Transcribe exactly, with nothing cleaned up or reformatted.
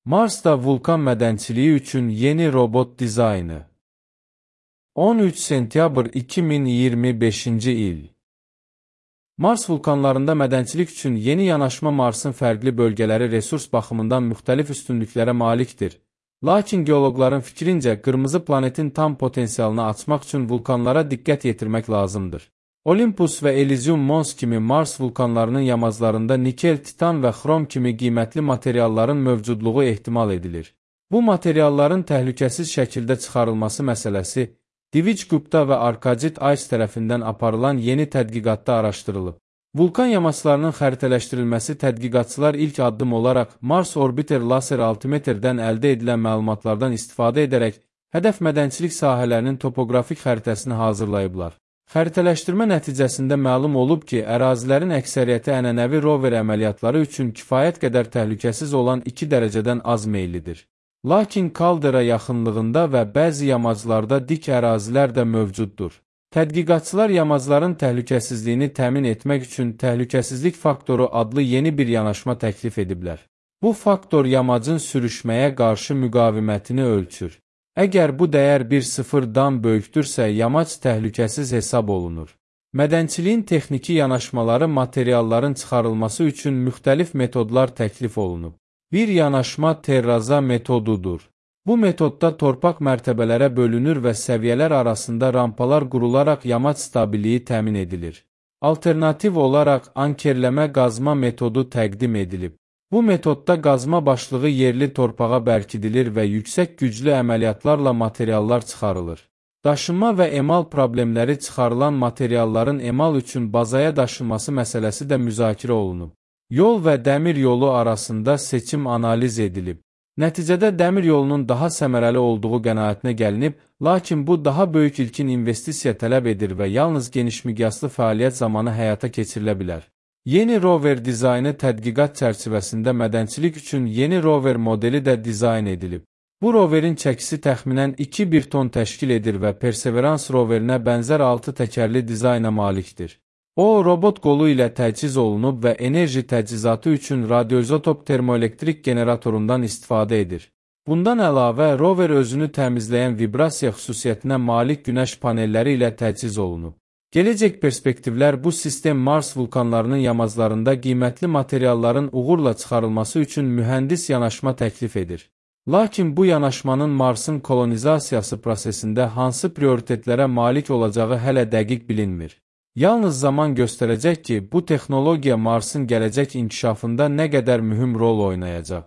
Marsda vulkan mədənçiliyi üçün yeni robot dizaynı. on üç sentyabr iki min iyirmi beşinci il. Mars vulkanlarında mədənçilik üçün yeni yanaşma Marsın fərqli bölgələri resurs baxımından müxtəlif üstünlüklərə malikdir. Lakin geoloqların fikrincə qırmızı planetin tam potensialını açmaq üçün vulkanlara diqqət yetirmək lazımdır. Olympus və Elysium Mons kimi Mars vulkanlarının yamaclarında nikel, titan və xrom kimi qiymətli materialların mövcudluğu ehtimal edilir. Bu materialların təhlükəsiz şəkildə çıxarılması məsələsi Divij Gupta və Arkadit Ice tərəfindən aparılan yeni tədqiqatda araşdırılıb. Vulkan yamaclarının xəritələşdirilməsi tədqiqatçılar ilk addım olaraq Mars Orbiter laser altimetrdən əldə edilən məlumatlardan istifadə edərək hədəf mədənçilik sahələrinin topoqrafik xəritəsini hazırlayıblar. Xəritələşdirmə nəticəsində məlum olub ki, ərazilərin əksəriyyəti ənənəvi rover əməliyyatları üçün kifayət qədər təhlükəsiz olan iki dərəcədən az meyillidir. Lakin kaldera yaxınlığında və bəzi yamaclarda dik ərazilər də mövcuddur. Tədqiqatçılar yamacların təhlükəsizliyini təmin etmək üçün təhlükəsizlik faktoru adlı yeni bir yanaşma təklif ediblər. Bu faktor yamacın sürüşməyə qarşı müqavimətini ölçür. Əgər bu dəyər bir sıfırdan böyükdürsə, yamac təhlükəsiz hesab olunur. Mədənçiliyin texniki yanaşmaları materialların çıxarılması üçün müxtəlif metodlar təklif olunub. Bir yanaşma terraza metodudur. Bu metodda torpaq mərtəbələrə bölünür və səviyyələr arasında rampalar qurularaq yamac stabilliyi təmin edilir. Alternativ olaraq ankerləmə qazma metodu təqdim edilib. Bu metodda qazma başlığı yerli torpağa bərkidilir və yüksək güclü əməliyyatlarla materiallar çıxarılır. Daşınma və emal problemləri çıxarılan materialların emal üçün bazaya daşınması məsələsi də müzakirə olunub. Yol və dəmir yolu arasında seçim analiz edilib. Nəticədə dəmir yolunun daha səmərəli olduğu qənaətinə gəlinib, lakin bu daha böyük ilkin investisiya tələb edir və yalnız genişmiqyaslı fəaliyyət zamanı həyata keçirilə bilər. Yeni rover dizaynı tədqiqat çərçivəsində mədənçilik üçün yeni rover modeli də dizayn edilib. Bu roverin çəkisi təxminən iki bir ton təşkil edir və Perseverance roverinə bənzər altı təkərli dizayna malikdir. O, robot qolu ilə təchiz olunub və enerji təchizatı üçün radioizotop termoelektrik generatorundan istifadə edir. Bundan əlavə, rover özünü təmizləyən vibrasiya xüsusiyyətinə malik günəş panelləri ilə təchiz olunub. Gələcək perspektivlər bu sistem Mars vulkanlarının yamaclarında qiymətli materialların uğurla çıxarılması üçün mühəndis yanaşma təklif edir. Lakin bu yanaşmanın Marsın kolonizasiyası prosesində hansı prioritetlərə malik olacağı hələ dəqiq bilinmir. Yalnız zaman göstərəcək ki, bu texnologiya Marsın gələcək inkişafında nə qədər mühüm rol oynayacaq.